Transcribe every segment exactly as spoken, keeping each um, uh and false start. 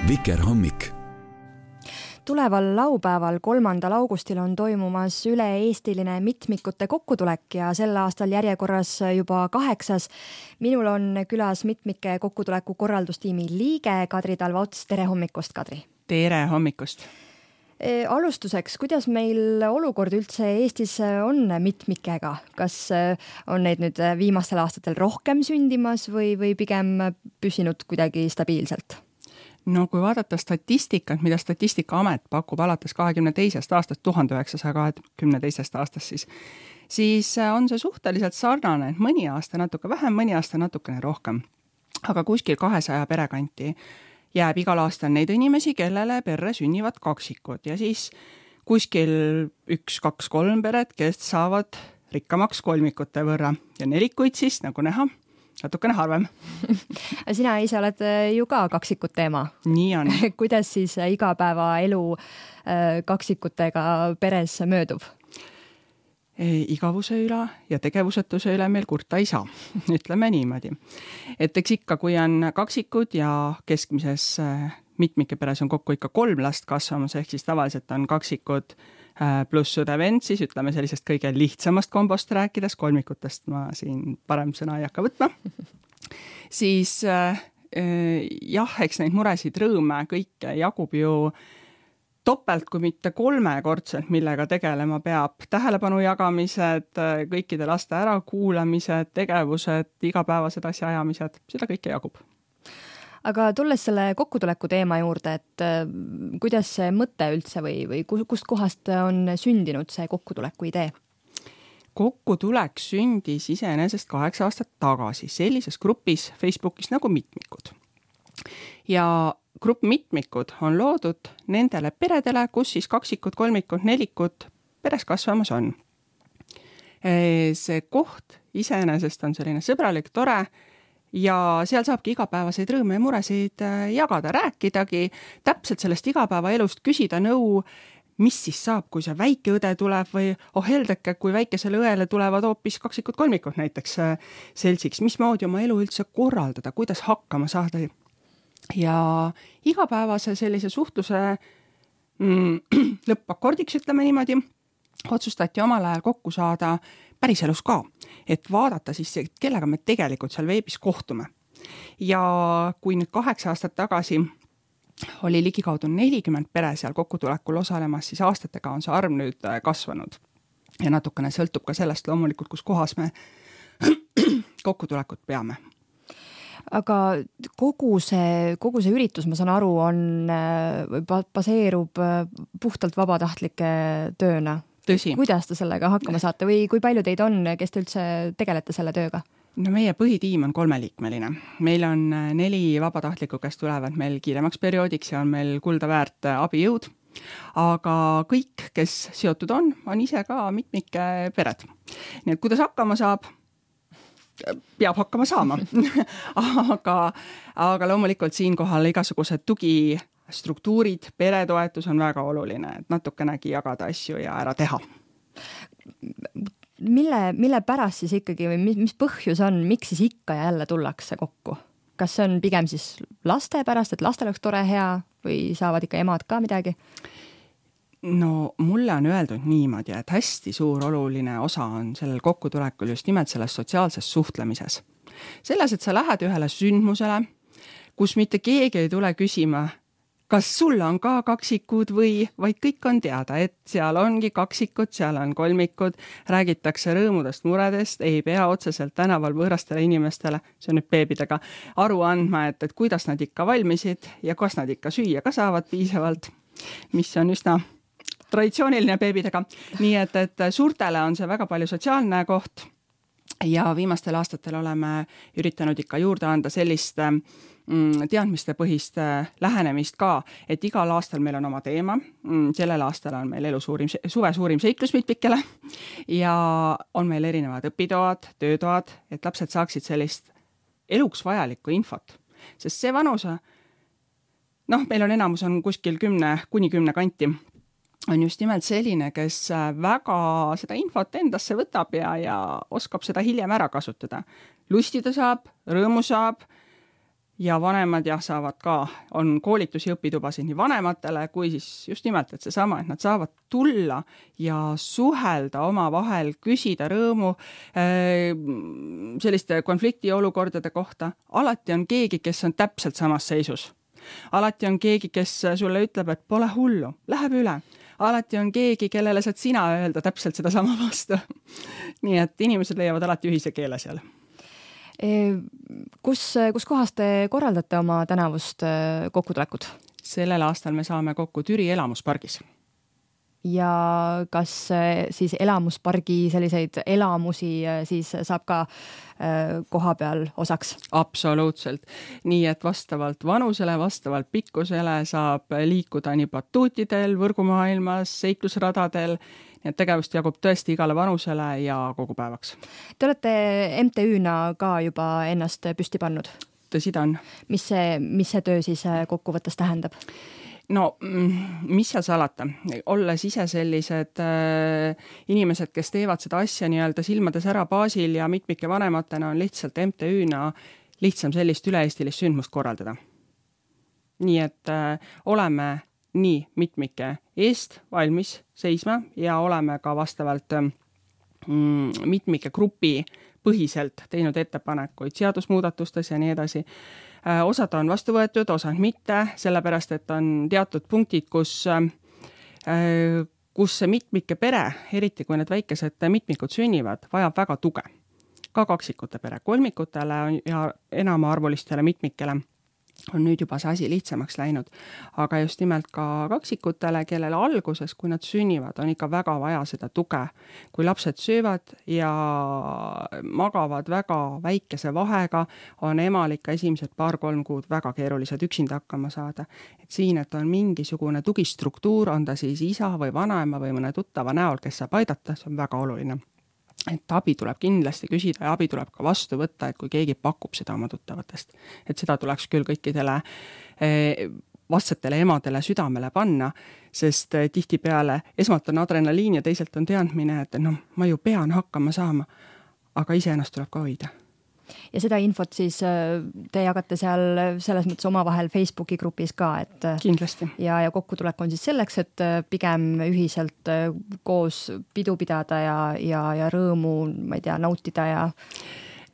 Vikerhommik. Tuleval laupäeval, kolmandal augustil on toimumas üle-eestiline mitmikute kokkutulek ja sel aastal järjekorras juba kaheksas. Minul on külas mitmike kokkutuleku korraldustiimi liige Kadri Talva-Ots. Tere hommikust, Kadri! Tere hommikust! E, alustuseks, kuidas meil olukord üldse Eestis on mitmikega? Kas on neid nüüd viimastel aastatel rohkem sündimas või, või pigem püsinud kuidagi stabiilselt? No kui vaadata statistikat, mida Statistikaamet pakub alates kahekümne teisest aastast, tuhande üheksasaja kahekümne teisest aastast, siis, siis on see suhteliselt sarnane, et mõni aasta natuke vähem, mõni aasta natukene rohkem. Aga kuskil kahesaja perekanti jääb igal aastal neid inimesi, kellele perre sünnivad kaksikud ja siis kuskil üks, kaks, kolm peret, kes saavad rikkamaks kolmikute võrra ja nelikuid siis, nagu näha, natukene harvem. Sina ise oled ju ka kaksikute ema. Nii on. Kuidas siis igapäevaelu kaksikutega peres möödub? Igavuse üle ja tegevusetuse üle meil kurta ei saa, ütleme niimoodi. Et eks ikka, kui on kaksikud ja keskmises mitmike peres on kokku ikka kolm last kasvamas, ehk siis tavaliselt on kaksikud pluss õde-vend, siis ütleme sellisest kõige lihtsamast kombost rääkides, kolmikutest ma siin parem sõna ei hakka võtma, siis äh, jah, eks neid muresid rõõme kõike jagub ju topelt, kui mitte kolmekordselt, millega tegelema peab. Tähelepanu jagamised, kõikide laste ärakuulamised, tegevused, igapäevased asjaajamised, seda kõike jagub. Aga tulles selle kokkutuleku teema juurde, et kuidas see mõte üldse või, või kust kohast on sündinud see kokkutuleku idee? Kokkutulek sündis iseenesest kaheksa aastat tagasi sellises grupis Facebookis nagu Mitmikud. Ja grupp Mitmikud on loodud nendele peredele, kus siis kaksikud, kolmikud, nelikud peres kasvamas on. See koht iseenesest on selline sõbralik, tore ja seal saabki igapäevaseid rõõme ja muresid jagada, rääkidagi, täpselt sellest igapäevaelust küsida nõu, mis siis saab, kui see väike õde tuleb või oh heldeke, kui väikesele õele tulevad hoopis kaksikud, kolmikud näiteks seltsiks, mismoodi oma elu üldse korraldada, kuidas hakkama saada. Ja igapäevase sellise suhtluse mm, lõppakordiks, ütleme niimoodi, otsustati omal ajal kokku saada päriselus ka, et vaadata siis, kellega me tegelikult seal veebis kohtume. Ja kui nüüd kaheksa aastat tagasi oli ligikaudu nelikümmend pere seal kokkutulekul osalemas, siis aastatega on see arv nüüd kasvanud. Ja natukene sõltub ka sellest loomulikult, kus kohas me kokkutulekut peame. Aga kogu see, kogu see üritus, ma saan aru, on, baseerub puhtalt vabatahtlike tööna. Tõsi. Kuidas te sellega hakkama saate või kui palju teid on, kes te üldse tegelete selle tööga? No meie põhitiim on kolmeliikmeline. Meil on neli vabatahtlikku, kes tulevad meil kiiremaks perioodiks ja on meil kulda väärt abijõud. Aga kõik, kes seotud on, on ise ka mitmike pered. Nii et kuidas hakkama saab? Peab hakkama saama. aga, aga loomulikult siinkohal igasugused tugistruktuurid, peretoetus on väga oluline, et natukenegi jagada asju ja ära teha. Mille, mille pärast siis ikkagi või mis, mis põhjus on, miks siis ikka ja jälle tullakse kokku? Kas see on pigem siis laste pärast, et lastel oleks tore hea või saavad ikka emad ka midagi? No mulle on öeldud niimoodi, et hästi suur oluline osa on sellel kokkutulekul just nimelt selles sotsiaalses suhtlemises. Selles, et sa lähed ühele sündmusele, kus mitte keegi ei tule küsima, kas sul on ka kaksikud või, vaid kõik on teada, et seal ongi kaksikud, seal on kolmikud, räägitakse rõõmudest, muredest, ei pea otseselt tänaval võõrastele inimestele, see on nüüd beebidega, aru andma, et, et kuidas nad ikka valmisid ja kas nad ikka süüa ka saavad piisavalt, mis on üsna traditsiooniline beebidega. Nii et, et suurtele on see väga palju sotsiaalne koht ja viimastel aastatel oleme üritanud ikka juurde anda sellist mm, teadmiste põhist lähenemist ka, et igal aastal meil on oma teema. Mm, sellel aastal on meil elu suurim, suve suurim seiklus mitmikele ja on meil erinevad õpitoad, töötoad, et lapsed saaksid sellist eluks vajalikku infot. Sest see vanuse, noh, meil on enamus on kuskil kümne kuni kümne kanti, on just nimelt selline, kes väga seda infot endasse võtab ja, ja oskab seda hiljem ära kasutada. Lustida saab, rõõmu saab, ja vanemad jah, saavad ka, on koolitusi õpitubasid nii vanematele kui siis just nimelt, et seesama, et nad saavad tulla ja suhelda oma vahel, küsida rõõmu selliste konfliktiolukordade kohta. Alati on keegi, kes on täpselt samas seisus. Alati on keegi, kes sulle ütleb, et pole hullu, läheb üle. Alati on keegi, kellele saad sina öelda täpselt seda sama vastu. Nii et inimesed leiavad alati ühise keele seal. Kus, kus kohas te korraldate oma tänavust kokkutulekut? Sellel aastal me saame kokku Türi elamuspargis. Ja kas siis elamuspargi selliseid elamusi siis saab ka koha peal osaks? Absoluutselt. Nii et vastavalt vanusele, vastavalt pikkusele saab liikuda nii batuutidel, võrgumaailmas, seiklusradadel. Nii et tegevust jagub tõesti igale vanusele ja kogu päevaks. Te olete M T Ü-na ka juba ennast püsti pannud? Tõsi ta on. Mis see, mis see töö siis kokkuvõttes tähendab? No, mis seal salata? Olles ise sellised äh, inimesed, kes teevad seda asja nii-öelda silmades ära baasil ja mitmike vanematena on lihtsalt M T Ü-na lihtsam sellist üle-eestilist sündmust korraldada. Nii et äh, oleme nii mitmike eest valmis seisma ja oleme ka vastavalt äh, mitmike grupi põhiselt teinud ettepanekuid seadusmuudatustes ja nii edasi. Osad on vastu võetud, osad mitte, sellepärast, et on teatud punktid, kus, kus see mitmike pere, eriti kui need väikesed mitmikud sünnivad, vajab väga tuge. Ka kaksikute pere, kolmikutele ja enamaarvulistele mitmikele on nüüd juba see asi lihtsamaks läinud, aga just nimelt ka kaksikutele, kellele alguses, kui nad sünnivad, on ikka väga vaja seda tuge. Kui lapsed söövad ja magavad väga väikese vahega, on emal ikka esimesed paar-kolm kuud väga keerulised üksinda hakkama saada. Et siin, et on mingisugune tugistruktuur, on ta siis isa või vanaema või mõne tuttava näol, kes saab aidata, see on väga oluline. Et abi tuleb kindlasti küsida ja abi tuleb ka vastu võtta, et kui keegi pakub seda oma tuttavatest. Et seda tuleks küll kõikidele vastsetele emadele südamele panna, sest tihtipeale esmalt on adrenaliin ja teiselt on teadmine, et no, ma ju pean hakkama saama, aga ise ennast tuleb ka hoida. Ja seda infot siis te jagate seal selles mõttes omavahel Facebooki grupis ka, et kindlasti. Ja, ja kokkutulek on siis selleks, et pigem ühiselt koos pidu pidada ja, ja, ja rõõmu, ma ei tea, nautida ja...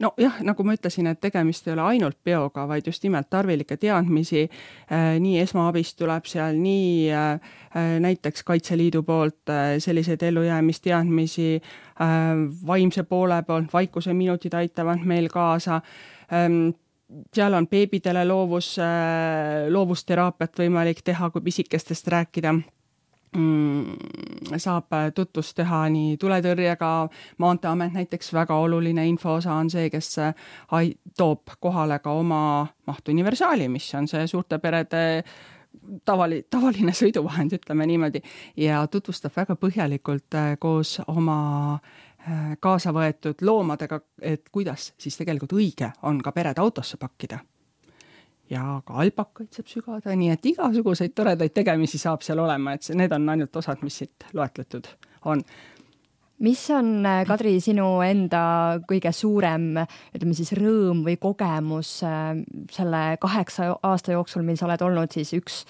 No jah, nagu ma ütlesin, et tegemist ei ole ainult peoga, vaid just nimelt tarvilike teadmisi. Nii esmaabist tuleb seal, nii näiteks Kaitseliidu poolt selliseid ellujäämisteadmisi, vaimse poole poolt, vaikuse minutid aitavad meil kaasa. Seal on beebidele loovus, loovusteraapiat võimalik teha, kui pisikestest rääkida. Saab tutvust teha nii tuletõrjega, Maanteeamet näiteks väga oluline infoosa on see, kes toob kohale ka oma maht universaali, mis on see suurte perede tavali, tavaline sõiduvahend, ütleme niimoodi, ja tutvustab väga põhjalikult koos oma kaasa võetud loomadega, et kuidas siis tegelikult õige on ka pered autosse pakkida. Ja ka alpakaid saab sügada, nii et igasuguseid toredaid tegemisi saab seal olema, et need on ainult osad, mis siit loetletud on. Mis on, Kadri, sinu enda kõige suurem, ütleme siis rõõm või kogemus selle kaheksa aasta jooksul, mil sa oled olnud siis üks,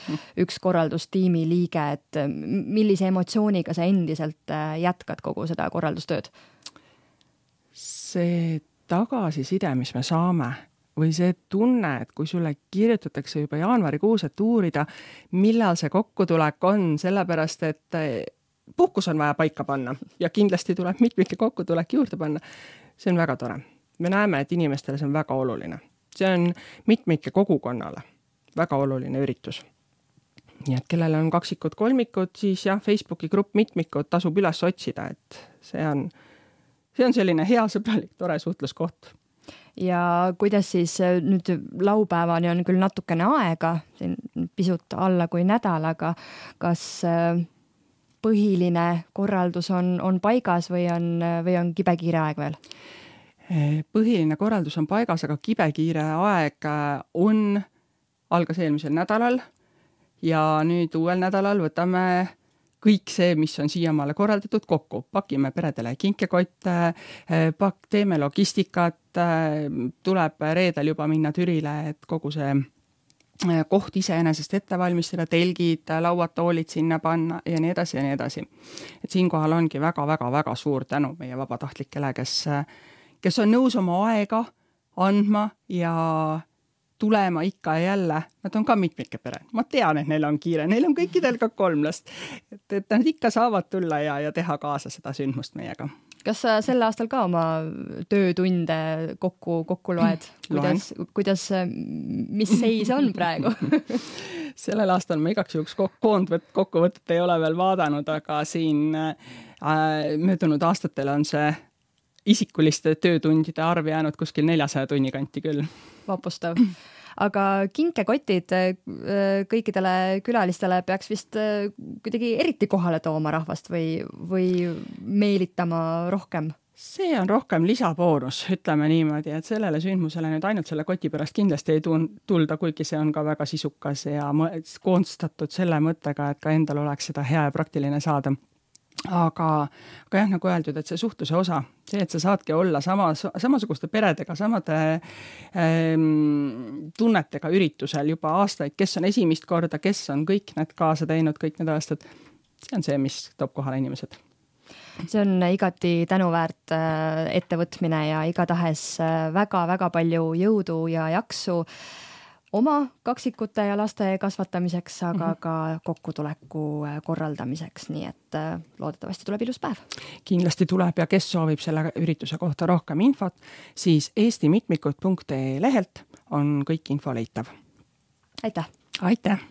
üks korraldustiimi liige, et millise emotsiooniga sa endiselt jätkad kogu seda korraldustööd? See tagasiside, mis me saame, või see tunne, et kui sulle kirjutatakse juba jaanuarikuus, et uurida, millal see kokkutulek on, sellepärast, et puhkus on vaja paika panna ja kindlasti tuleb mitmike kokkutulek juurde panna. See on väga tore. Me näeme, et inimestele see on väga oluline. See on mitmike kogukonnale väga oluline üritus. Nii et kellele on kaksikud, kolmikud, siis jah, Facebooki grupp mitmikud tasub üles otsida, et see on, see on selline hea sõbralik, tore suhtluskoht. Ja kuidas siis nüüd laupäevani on küll natukene aega, pisut alla kui nädal, aga kas põhiline korraldus on, on paigas või on, või on kibekiire aeg veel? Põhiline korraldus on paigas, aga kibekiire aeg on, algas eelmisel nädalal ja nüüd uuel nädalal võtame kõik see, mis on siiamaale korraldatud kokku, pakime peredele kinkekotte, pak-, teeme logistikat, tuleb reedel juba minna Türile, et kogu see koht iseenesest ette valmistada, telgid, lauad, toolid sinna panna ja nii edasi ja nii edasi. Et siinkohal ongi väga-väga-väga suur tänu meie vabatahtlikele, kes, kes on nõus oma aega andma ja tulema ikka ja jälle. Nad on ka mitmike pere. Ma tean, et neil on kiire, neil on kõikidel ka kolm last. Et, et nad ikka saavad tulla ja, ja teha kaasa seda sündmust meiega. Kas sa sel aastal ka oma töötunde kokku, kokku loed? Kuidas, kuidas, mis seis on praegu? Sellel aastal ma igaks juhuks koondvõtt, kokkuvõtet ei ole veel vaadanud, aga siin äh, möödunud aastatel on see isikuliste töötundide arv jäänud kuskil neljasaja tunni kanti küll. Vapustav. Aga kinkekotid kõikidele külalistele peaks vist kuidagi eriti kohale tooma rahvast või, või meelitama rohkem? See on rohkem lisaboonus, ütleme niimoodi, et sellele sündmusele nüüd ainult selle koti pärast kindlasti ei tulda, kuigi see on ka väga sisukas ja koonstatud selle mõttega, et ka endal oleks seda hea ja praktiline saada. Aga, aga jah, nagu öeldud, et see suhtluse osa, see, et sa saadki olla sama, samasuguste peredega, samade ähm, tunnetega üritusel juba aastaid, kes on esimest korda, kes on kõik need kaasa teinud, kõik need aastad, see on see, mis toob kohale inimesed. See on igati tänuväärt ettevõtmine ja igatahes väga-väga palju jõudu ja jaksu oma kaksikute ja laste kasvatamiseks, aga mm-hmm. ka kokkutuleku korraldamiseks, nii et loodetavasti tuleb ilus päev. Kindlasti tuleb ja kes soovib selle ürituse kohta rohkem infot, siis eesti mitmikud punkt ee lehelt on kõik info leitav. Aitäh! Aitäh!